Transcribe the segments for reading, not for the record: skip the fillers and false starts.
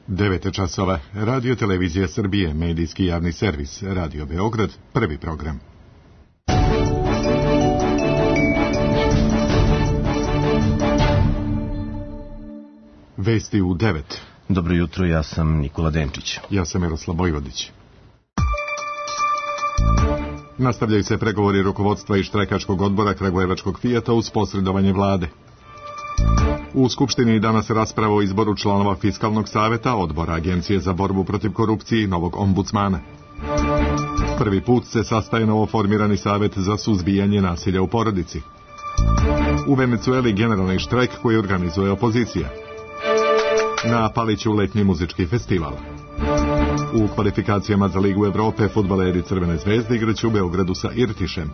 9 časova. Radio Televizija Srbije, medijski javni servis, Radio Beograd, prvi program. Vesti u 9. Dobro jutro, ja sam Nikola Denčić. Ja sam Miroslav Vojvodić. Nastavljaju se pregovori rukovodstva i štrajkačkog odbora Kragujevačkog Fijata uz posredovanje vlade. U Skupštini danas rasprava o izboru članova Fiskalnog saveta, odbora Agencije za borbu protiv korupcije i novog ombudsmana. Prvi put se sastaje novoformirani savet za suzbijanje nasilja u porodici. U Venecueli generalni štrajk koji organizuje opozicija. Na Paliću letnji muzički festival. U kvalifikacijama za Ligu Evrope fudbaleri Crvene zvezde igraće u Beogradu sa Irtišem.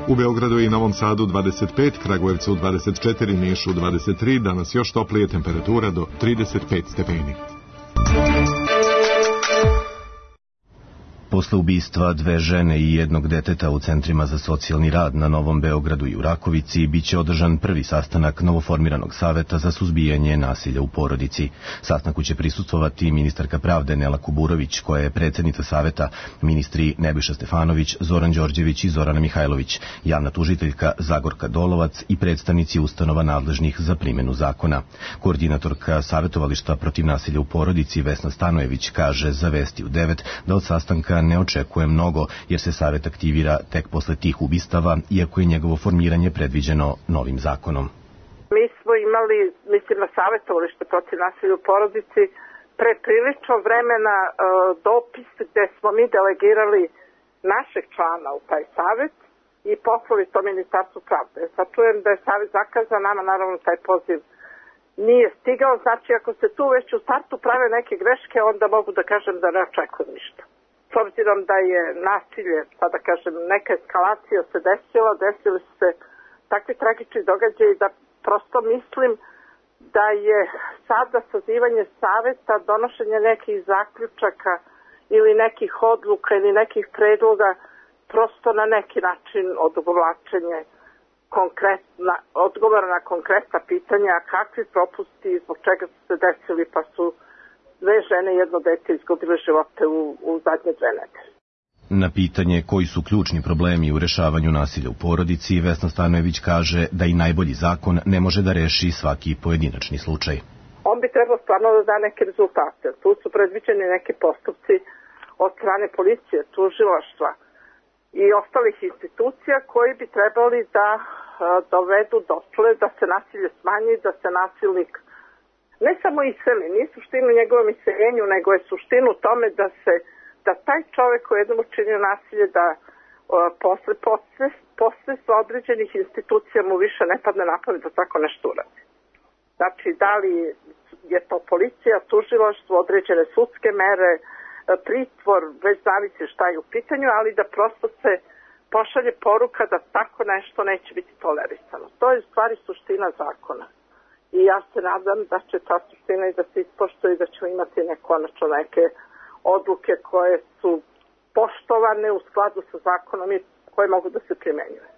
U Beogradu i Novom Sadu 25, Kragujevcu 24, Nišu 23, danas još toplije, temperatura do 35 stepeni. Posle ubistva 2 žene i 1 deteta u centrima za socijalni rad na Novom Beogradu i u Rakovici biće održan prvi sastanak novoformiranog saveta za suzbijanje nasilja u porodici. Sastanku će prisustvovati ministarka pravde Nela Kuburović, koja je predsjednica saveta, ministri Nebojša Stefanović, Zoran Đorđević i Zorana Mihajlović, javna tužiteljka Zagorka Dolovac i predstavnici ustanova nadležnih za primjenu zakona. Koordinatorka Savetovališta protiv nasilja u porodici Vesna Stanojević kaže za Vesti u 9 da od sastanka ne očekuje mnogo, jer se savet aktivira tek posle tih ubistava, iako je njegovo formiranje predviđeno novim zakonom. Mi smo imali, na Savetovalište protiv nasilja u porodici pre prilično vremena dopis gde smo mi delegirali našeg člana u taj savet i poslali to Ministarstvu pravde. Sad čujem da je savet zakazan, nama naravno taj poziv nije stigao, znači ako se tu već u startu prave neke greške, onda mogu da kažem da ne očekujem ništa. S obzirom da je nasilje, da kažem, neka eskalacija se desili su se takvi tragični događaji da prosto mislim da je sada sazivanje saveta, donošenje nekih zaključaka ili nekih odluka ili nekih predloga prosto na neki način odugovlačenje odgovora na konkretna pitanja, kakvi propusti, zbog čega su se desili, pa su 2 žene i 1 dete izgubile živote u zadnje 2 nedelje. Na pitanje koji su ključni problemi u rešavanju nasilja u porodici, Vesna Stanojević kaže da i najbolji zakon ne može da reši svaki pojedinačni slučaj. On bi trebao stvarno da da neke rezultate. Tu su predviđeni neki postupci od strane policije, tužilaštva i ostalih institucija koji bi trebali da dovedu dotle da se nasilje smanji, da se nasilnik ne samo iseli, nije suštinu njegovom iseljenju, nego je suštinu tome da taj čovjek koji je jednom učinio nasilje, da posle određenih institucija mu više ne padne na pamet da tako nešto uradi. Znači, da li je to policija, tužilaštvo, određene sudske mere, pritvor, već zavisi šta je u pitanju, ali da prosto se pošalje poruka da tako nešto neće biti tolerisano. To je u stvari suština zakona. I ja se nadam da će ta suština i da se ispoštuje i da ćemo imati konačno neke odluke koje su poštovane u skladu sa zakonom i koje mogu da se primenjuju.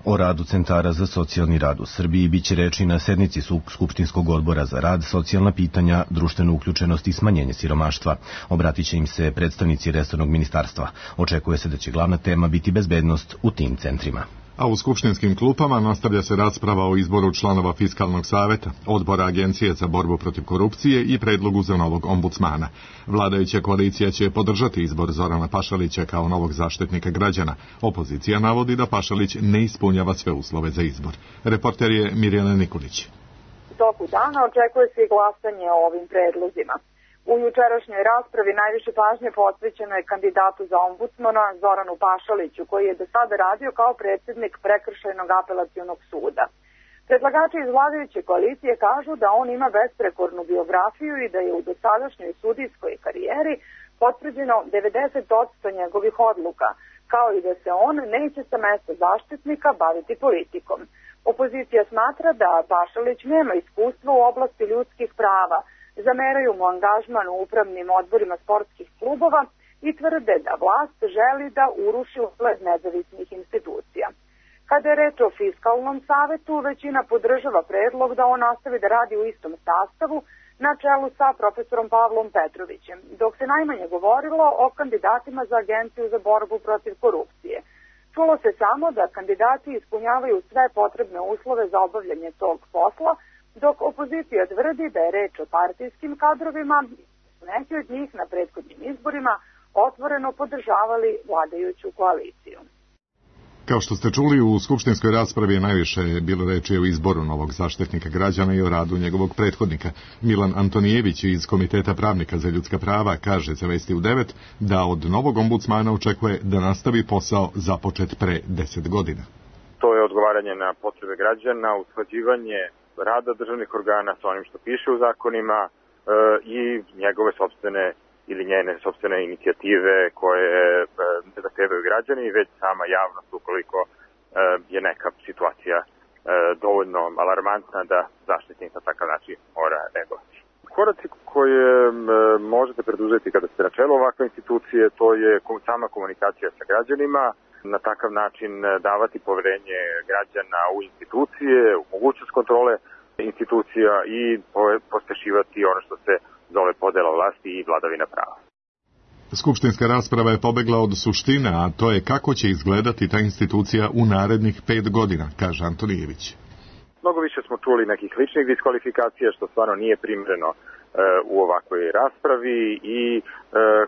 O radu centara za socijalni rad u Srbiji biće reči na sednici Skupštinskog odbora za rad, socijalna pitanja, društvenu uključenost i smanjenje siromaštva. Obratit će im se predstavnici resornog ministarstva. Očekuje se da će glavna tema biti bezbednost u tim centrima. A u skupštinskim klupama nastavlja se rasprava o izboru članova Fiskalnog saveta, odbora Agencije za borbu protiv korupcije i predlogu za novog ombudsmana. Vladajuća koalicija će podržati izbor Zorana Pašalića kao novog zaštitnika građana. Opozicija navodi da Pašalić ne ispunjava sve uslove za izbor. Reporter je Mirjana Nikolić. U toku dana očekuje se i glasanje o ovim predlozima. U jučerašnjoj raspravi najviše pažnje posvećeno je kandidatu za ombudsmana Zoranu Pašaliću, koji je do sada radio kao predsjednik Prekršajnog apelacionog suda. Predlagači iz vladajuće koalicije kažu da on ima besprekornu biografiju i da je u dosadašnjoj sudijskoj karijeri potvrđeno 90% njegovih odluka, kao i da se on neće sa mesta zaštitnika baviti politikom. Opozicija smatra da Pašalić nema iskustva u oblasti ljudskih prava, zameraju mu angažman u upravnim odborima sportskih klubova i tvrde da vlast želi da uruši ugled nezavisnih institucija. Kada je reč o Fiskalnom savetu, većina podržava predlog da on nastavi da radi u istom sastavu, na čelu sa profesorom Pavlom Petrovićem, dok se najmanje govorilo o kandidatima za Agenciju za borbu protiv korupcije. Čulo se samo da kandidati ispunjavaju sve potrebne uslove za obavljanje tog posla, dok opozicija tvrdi da je reč o partijskim kadrovima, neki od njih na prethodnim izborima otvoreno podržavali vladajuću koaliciju. Kao što ste čuli, u skupštinskoj raspravi je najviše bilo reči o izboru novog zaštitnika građana i o radu njegovog prethodnika. Milan Antonijević iz Komiteta pravnika za ljudska prava kaže za Vesti u 9 da od novog ombudsmana očekuje da nastavi posao započet pre 10 godina. To je odgovaranje na potrebe građana, usklađivanje rada državnih organa sa onim što piše u zakonima i njegove sopstvene ili njene sopstvene inicijative koje ne zahtevaju građani, već sama javnost ukoliko je neka situacija dovoljno alarmantna da zaštitnik na takav način mora reagovati. Koraci koje možete preduzeti kada ste na čelu ovakve institucije, to je sama komunikacija sa građanima, na takav način davati poverenje građana u institucije, u mogućnost kontrole institucija i pospešivati ono što se zove podela vlasti i vladavina prava. Skupštinska rasprava je pobegla od suštine, a to je kako će izgledati ta institucija u narednih 5 godina, kaže Antonijević. Mnogo više smo čuli nekih ličnih diskvalifikacija, što stvarno nije primereno u ovakvoj raspravi i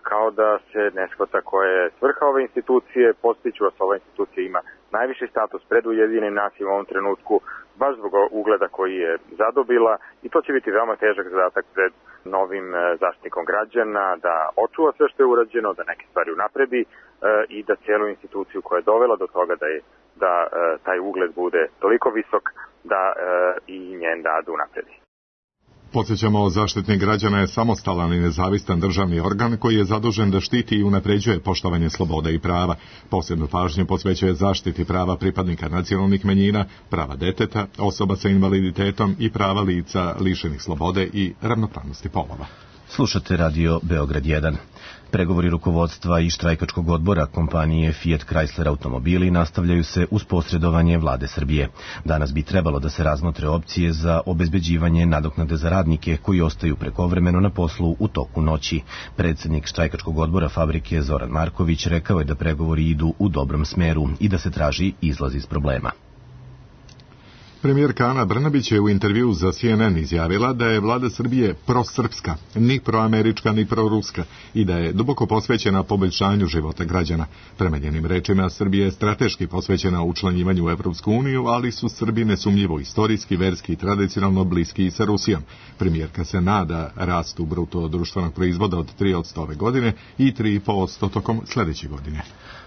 kao da se ne shvata koja je svrha ove institucije. Podsjeću vas, ova institucija ima najviši status pred Ujedinjenim nacijama u ovom trenutku, baš zbog ugleda koji je zadobila, i to će biti veoma težak zadatak pred novim zaštitnikom građana, da očuva sve što je urađeno, da neke stvari unapredi i da cijelu instituciju koja je dovela do toga da taj ugled bude toliko visok da i njen rad unapredi. Podsjećamo, Zaštitnik građana je samostalan i nezavistan državni organ koji je zadužen da štiti i unapređuje poštovanje sloboda i prava. Posebnu pažnju posvećuje zaštiti prava pripadnika nacionalnih manjina, prava deteta, osoba sa invaliditetom i prava lica lišenih slobode i ravnopravnosti polova. Slušate radio Beograd 1. Pregovori rukovodstva i štrajkačkog odbora kompanije Fiat Chrysler automobili nastavljaju se uz posredovanje vlade Srbije. Danas bi trebalo da se razmotre opcije za obezbeđivanje nadoknade za radnike koji ostaju prekovremeno na poslu u toku noći. Predsjednik štrajkačkog odbora fabrike Zoran Marković rekao je da pregovori idu u dobrom smeru i da se traži izlaz iz problema. Premijerka Ana Brnabić je u intervju za CNN izjavila da je vlada Srbije prosrpska, ni proamerička, ni proruska i da je duboko posvećena poboljšanju života građana. Prema njenim rečima, Srbija je strateški posvećena učlanjivanju u Evropsku uniju, ali su Srbi nesumnjivo istorijski, verski i tradicionalno bliski i sa Rusijom. Premijerka se nada rastu bruto društvenog proizvoda od 3% ove godine i 3,5% tokom sljedeće godine.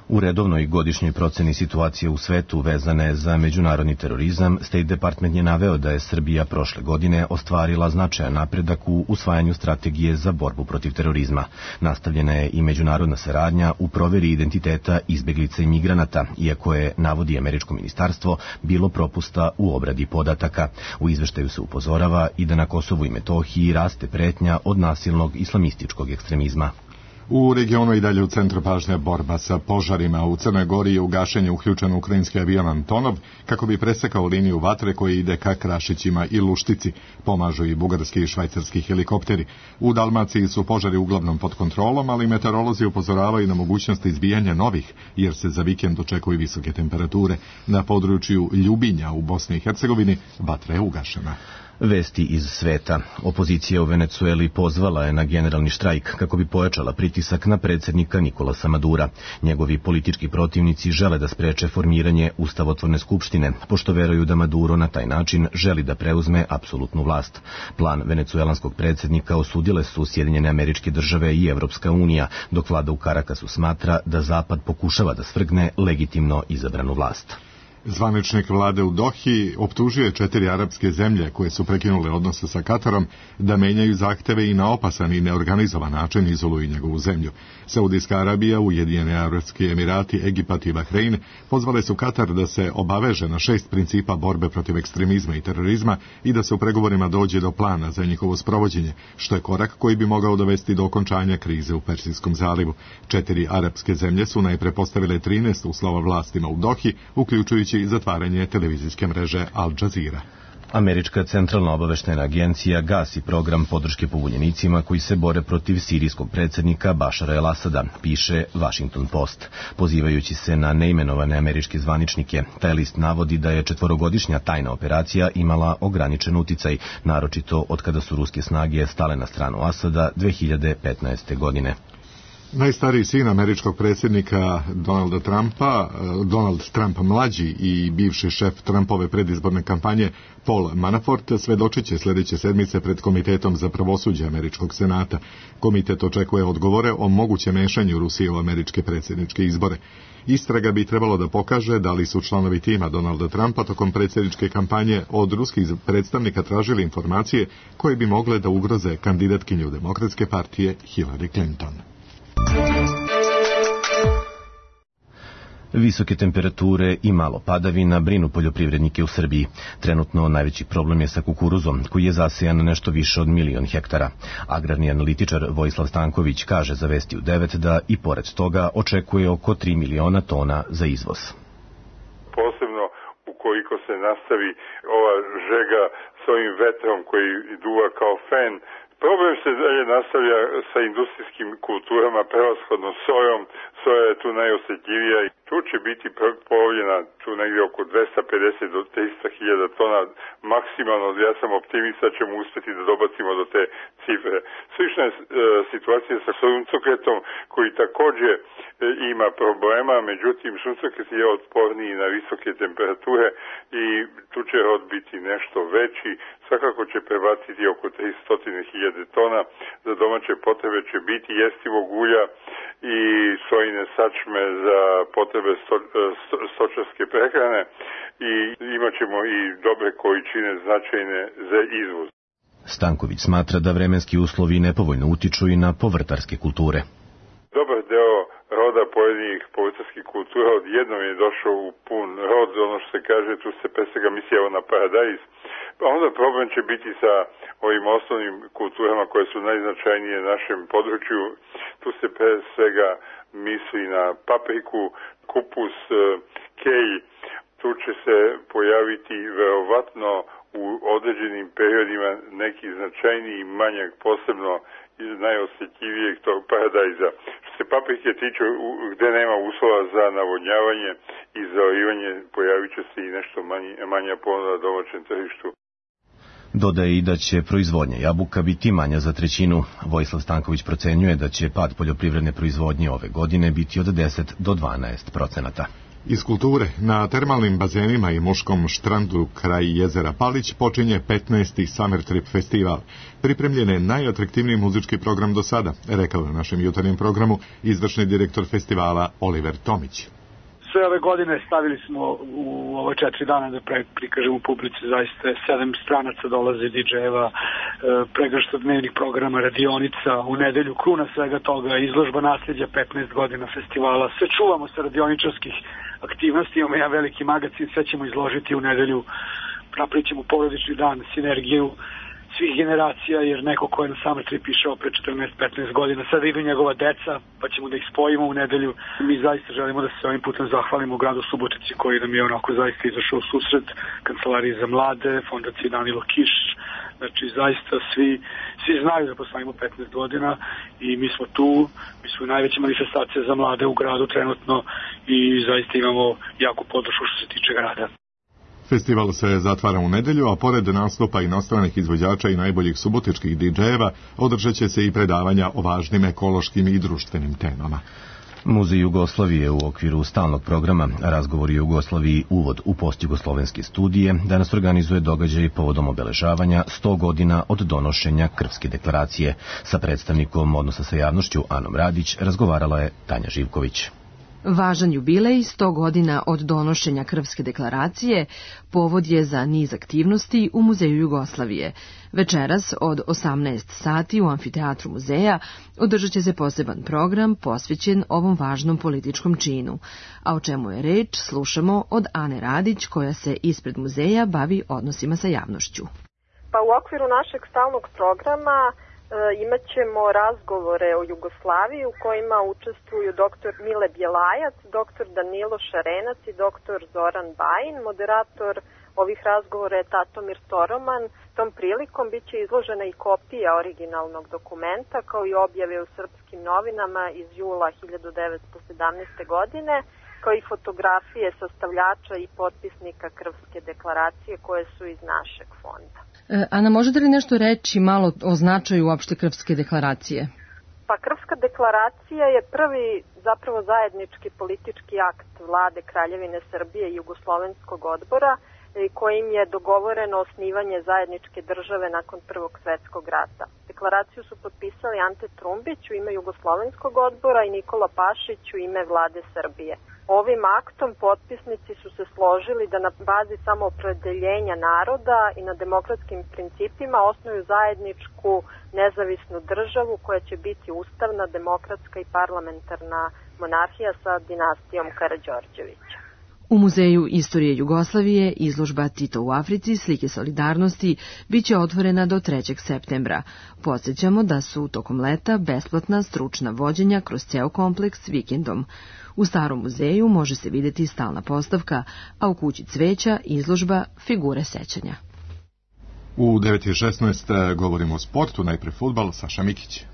U redovnoj godišnjoj proceni situacije u svetu vezane za međunarodni terorizam, State Department je naveo da je Srbija prošle godine ostvarila značajan napredak u usvajanju strategije za borbu protiv terorizma. Nastavljena je i međunarodna saradnja u proveri identiteta izbeglica i migranata, iako je, navodi američko ministarstvo, bilo propusta u obradi podataka. U izveštaju se upozorava i da na Kosovu i Metohiji raste pretnja od nasilnog islamističkog ekstremizma. U regionu i dalje u centru pažnje borba sa požarima. U Crnoj Gori je u gašenje uključen ukrajinski avion Antonov kako bi presekao liniju vatre koja ide ka Krašićima i Luštici. Pomažu i bugarski i švajcarski helikopteri. U Dalmaciji su požari uglavnom pod kontrolom, ali meteorolozi upozoravaju na mogućnost izbijanja novih, jer se za vikend očekuju visoke temperature. Na području Ljubinja u Bosni i Hercegovini vatra je ugašena. Vesti iz sveta. Opozicija u Venecueli pozvala je na generalni štrajk kako bi pojačala pritisak na predsjednika Nikolasa Madura. Njegovi politički protivnici žele da spreče formiranje ustavotvorne skupštine, pošto veruju da Maduro na taj način želi da preuzme apsolutnu vlast. Plan venecuelanskog predsjednika osudile su Sjedinjene Američke Države i Evropska unija, dok vlada u Karakasu smatra da Zapad pokušava da svrgne legitimno izabranu vlast. Zvaničnik vlade u Dohi optužuje 4 arapske zemlje koje su prekinule odnose sa Katarom da menjaju zahteve i na opasan i neorganizovan način izoluju njegovu zemlju. Saudijska Arabija, Ujedinjeni Arapski Emirati, Egipat i Bahrein pozvale su Katar da se obaveže na 6 principa borbe protiv ekstremizma i terorizma i da se u pregovorima dođe do plana za njihovo sprovođenje, što je korak koji bi mogao dovesti do okončanja krize u Persijskom zalivu. 4 arapske zemlje su najpre postavile 13 uslova vlastima u Dohi, uključujući i zatvaranje televizijske mreže Al Jazeera. Američka centralna obaveštajna agencija gasi program podrške pobunjenicima koji se bore protiv sirijskog predsjednika Bašara el-Asada, piše Washington Post. Pozivajući se na neimenovane američke zvaničnike, taj list navodi da je 4-godišnja tajna operacija imala ograničen uticaj, naročito od kada su ruske snage stale na stranu Asada 2015. godine. Najstariji sin američkog predsjednika Donald Trump mlađi i bivši šef Trumpove predizborne kampanje Paul Manafort svedočit će sljedeće sedmice pred Komitetom za pravosuđe američkog senata. Komitet očekuje odgovore o mogućem mešanju Rusije u američke predsjedničke izbore. Istraga bi trebalo da pokaže da li su članovi tima Donalda Trumpa tokom predsjedničke kampanje od ruskih predstavnika tražili informacije koje bi mogle da ugroze kandidatkinju Demokratske partije Hillary Clinton. Visoke temperature i malo padavina brinu poljoprivrednike u Srbiji. Trenutno najveći problem je sa kukuruzom, koji je zasejan nešto više od 1.000.000 hektara. Agrarni analitičar Vojislav Stanković kaže za Vesti u 9 da i pored toga očekuje oko 3 miliona tona za izvoz. Posebno ukoliko se nastavi ova žega s ovim vetrom koji duva kao fen, problem se dalje nastavlja sa industrijskim kulturama, prevashodno sojom. Soja je tu najosjetljivija i tu će biti polovljena tu negdje oko 250 do 300 hiljada tona maksimalno. Ja sam optimista, ćemo uspjeti da dobacimo do te cifre. Slična je situacija sa suncokretom koji također ima problema, međutim suncokret je otporniji na visoke temperature i tu će rod biti nešto veći. Svakako će prebaciti oko 300.000 tona. Za domaće potrebe će biti jestivog ulja i sojine sačme za potrebe stočarske prehrane i imat ćemo i dobre količine značajne za izvoz. Stanković smatra da vremenski uslovi nepovoljno utiču i na povrtarske kulture. Dobar deo roda pojedinih povrtarskih kultura odjednom je došao u pun rod, ono što se kaže, tu se pre svega misli na paradajz. Onda problem će biti sa ovim osnovnim kulturama koje su najznačajnije na našem području. Tu se pre svega misli na papriku, kupus, kej. Tu će se pojaviti verovatno u određenim periodima neki značajniji manjak, posebno iz najosjetljivijeg tog paradajza. Što se paprike tiče, gde nema uslova za navodnjavanje i za orivanje, pojavit će se i nešto manja ponuda na domaćem tržištu. Dodaje i da će proizvodnja jabuka biti manja za 1/3. Vojislav Stanković procenjuje da će pad poljoprivredne proizvodnje ove godine biti od 10 do 12%. Iz kulture, na termalnim bazenima i muškom štrandu kraj jezera Palić počinje 15. Summer Trip festival. Pripremljen je najatraktivniji muzički program do sada, rekao na našem jutarnjem programu izvršni direktor festivala Oliver Tomić. Sve ove godine stavili smo u ove 4 dana da prikažemo publici, zaista 7 stranaca dolaze DJ-eva, pregršt dnevnih programa, radionica, u nedelju kruna svega toga, izložba nasljeđa 15 godina festivala, sve čuvamo sa radioničarskih aktivnosti, imamo jedan veliki magazin, sve ćemo izložiti u nedelju, napravit ćemo porodični dan, sinergiju svih generacija, jer neko ko je na Summer Trip išao pre 14-15 godina, sada idu njegova deca, pa ćemo da ih spojimo u nedelju. Mi zaista želimo da se ovim putem zahvalimo u gradu Subotici koji nam je onako zaista izašao u susret, Kancelariji za mlade, Fondaciji Danilo Kiš, znači zaista svi znaju da poslavimo 15 godina i mi smo tu, mi smo najveća manifestacija za mlade u gradu trenutno i zaista imamo jaku podršku što se tiče grada. Festival se zatvara u nedelju, a pored nastupa inostranih izvođača i najboljih subotičkih DJ-eva, održat će se i predavanja o važnim ekološkim i društvenim temama. Muzej Jugoslavije u okviru stalnog programa Razgovori o Jugoslaviji uvod u postjugoslovenske studije danas organizuje događaj povodom obeležavanja 100 godina od donošenja Krfske deklaracije. Sa predstavnikom odnosa sa javnošću Anom Radić razgovarala je Tanja Živković. Važan jubilej 100 godina od donošenja Krfske deklaracije povod je za niz aktivnosti u Muzeju Jugoslavije. Večeras od 18 sati u amfiteatru muzeja održat će se poseban program posvećen ovom važnom političkom činu. A o čemu je reč slušamo od Ane Radić koja se ispred muzeja bavi odnosima sa javnošću. Pa u okviru našeg stalnog programa imat ćemo razgovore o Jugoslaviji u kojima učestvuju dr. Mile Bjelajac, dr. Danilo Šarenac i dr. Zoran Bajin. Moderator ovih razgovora je Tatomir Toroman. Tom prilikom bit će izložena i kopija originalnog dokumenta, kao i objave u srpskim novinama iz jula 1917. godine, kao i fotografije sastavljača i potpisnika Krfske deklaracije koje su iz našeg fonda. Ana, možete li nešto reći malo o značaju uopšte Krfske deklaracije? Pa Krfska deklaracija je prvi zapravo zajednički politički akt vlade Kraljevine Srbije i Jugoslovenskog odbora kojim je dogovoreno osnivanje zajedničke države nakon Prvog svetskog rata. Deklaraciju su potpisali Ante Trumbić u ime Jugoslovenskog odbora i Nikola Pašić u ime vlade Srbije. Ovim aktom potpisnici su se složili da na bazi samoopredeljenja naroda i na demokratskim principima osnuju zajedničku nezavisnu državu koja će biti ustavna, demokratska i parlamentarna monarhija sa dinastijom Karađorđevića. U Muzeju istorije Jugoslavije izložba Tito u Africi, slike solidarnosti, biće otvorena do 3. septembra. Podsjećamo da su tokom leta besplatna stručna vođenja kroz ceo kompleks vikendom. U Starom muzeju može se vidjeti stalna postavka, a u kući cveća izložba Figure sećanja. U 9:16 govorimo o sportu, najpre fudbal, Saša Mikić.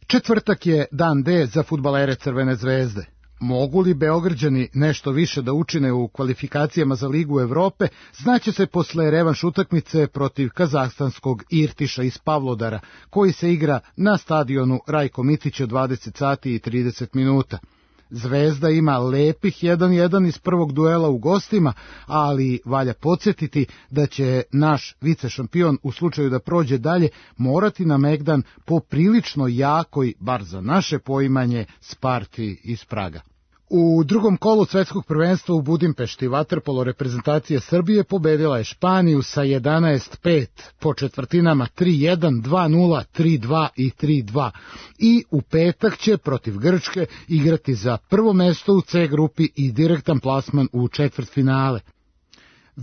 Četvrtak je dan D za fudbalere Crvene zvezde. Mogu li Beograđani nešto više da učine u kvalifikacijama za Ligu Evrope, znaće se posle revanš utakmice protiv kazahstanskog Irtiša iz Pavlodara, koji se igra na stadionu Rajko Micić od 20:30. Zvezda ima lepih 1:1 iz prvog duela u gostima, ali valja podsjetiti da će naš vicešampion u slučaju da prođe dalje morati na Megdan po prilično jakoj, bar za naše poimanje, Sparti iz Praga. U drugom kolu svetskog prvenstva u Budimpešti vaterpolo reprezentacija Srbije pobedila je Španiju sa 11:5 po četvrtinama 3:1, 2:0, 3:2 i 3:2 i u petak će protiv Grčke igrati za prvo mesto u C grupi i direktan plasman u četvrtfinale.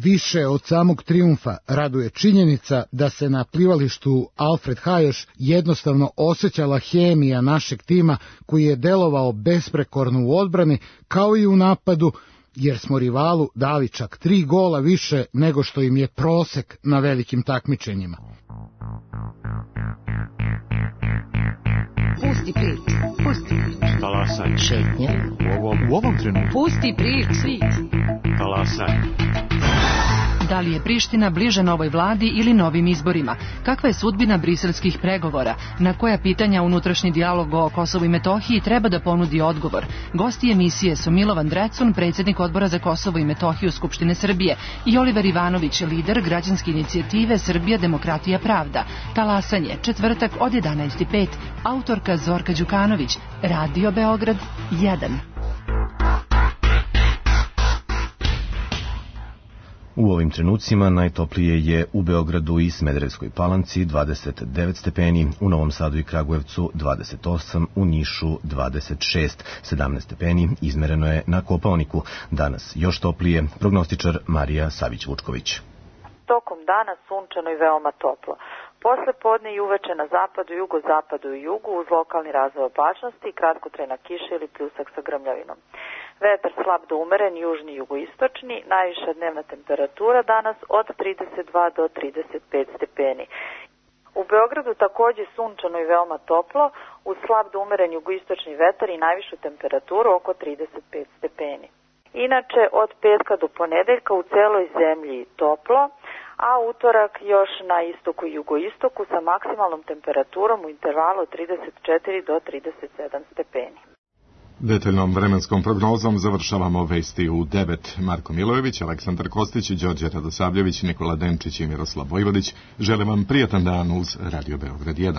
Više od samog trijumfa raduje činjenica da se na plivalištu Alfred Hajoš jednostavno osjećala hemija našeg tima koji je delovao besprekorno u odbrani kao i u napadu, jer smo rivalu dali čak 3 gola više nego što im je prosek na velikim takmičenjima. Pusti priču, pusti priču. Talasaj. Šetnja. U ovom trenutku. Pusti priču. Svit. Talasaj. Da li je Priština bliže novoj vladi ili novim izborima? Kakva je sudbina briselskih pregovora? Na koja pitanja unutrašnji dijalog o Kosovu i Metohiji treba da ponudi odgovor? Gosti emisije su Milovan Drecun, predsjednik odbora za Kosovo i Metohiju Skupštine Srbije, i Oliver Ivanović, lider građanske inicijative Srbija, demokratija, pravda. Talasanje, četvrtak od 11:05. Autorka Zorka Đukanović. Radio Beograd 1. U ovim trenucima najtoplije je u Beogradu i Smederevskoj Palanci 29 stepeni, u Novom Sadu i Kragujevcu 28, u Nišu 26, 17 stepeni izmereno je na Kopaoniku. Danas još toplije, prognostičar Marija Savić-Vučković. Tokom dana sunčano i veoma toplo. Posle podne i uveče na zapadu, jugozapadu i jugu uz lokalni razvoj opasnosti i kratkotrajna kiša ili pljusak sa grmljavinom. Vetar slab do umeren, južni i jugoistočni, najviša dnevna temperatura danas od 32 do 35 stepeni. U Beogradu takođe sunčano i veoma toplo, uz slab do umeren jugoistočni vetar i najvišu temperaturu oko 35 stepeni. Inače, od petka do ponedeljka u celoj zemlji toplo, a utorak još na istoku i jugoistoku sa maksimalnom temperaturom u intervalu od 34 do 37 stepeni. Detaljnom vremenskom prognozom završavamo vesti u 9. Marko Milojević, Aleksandar Kostić, Đorđe Radosavljević, Nikola Denčić i Miroslav Vojvodić. Želim vam prijatan dan uz Radio Beograd 1.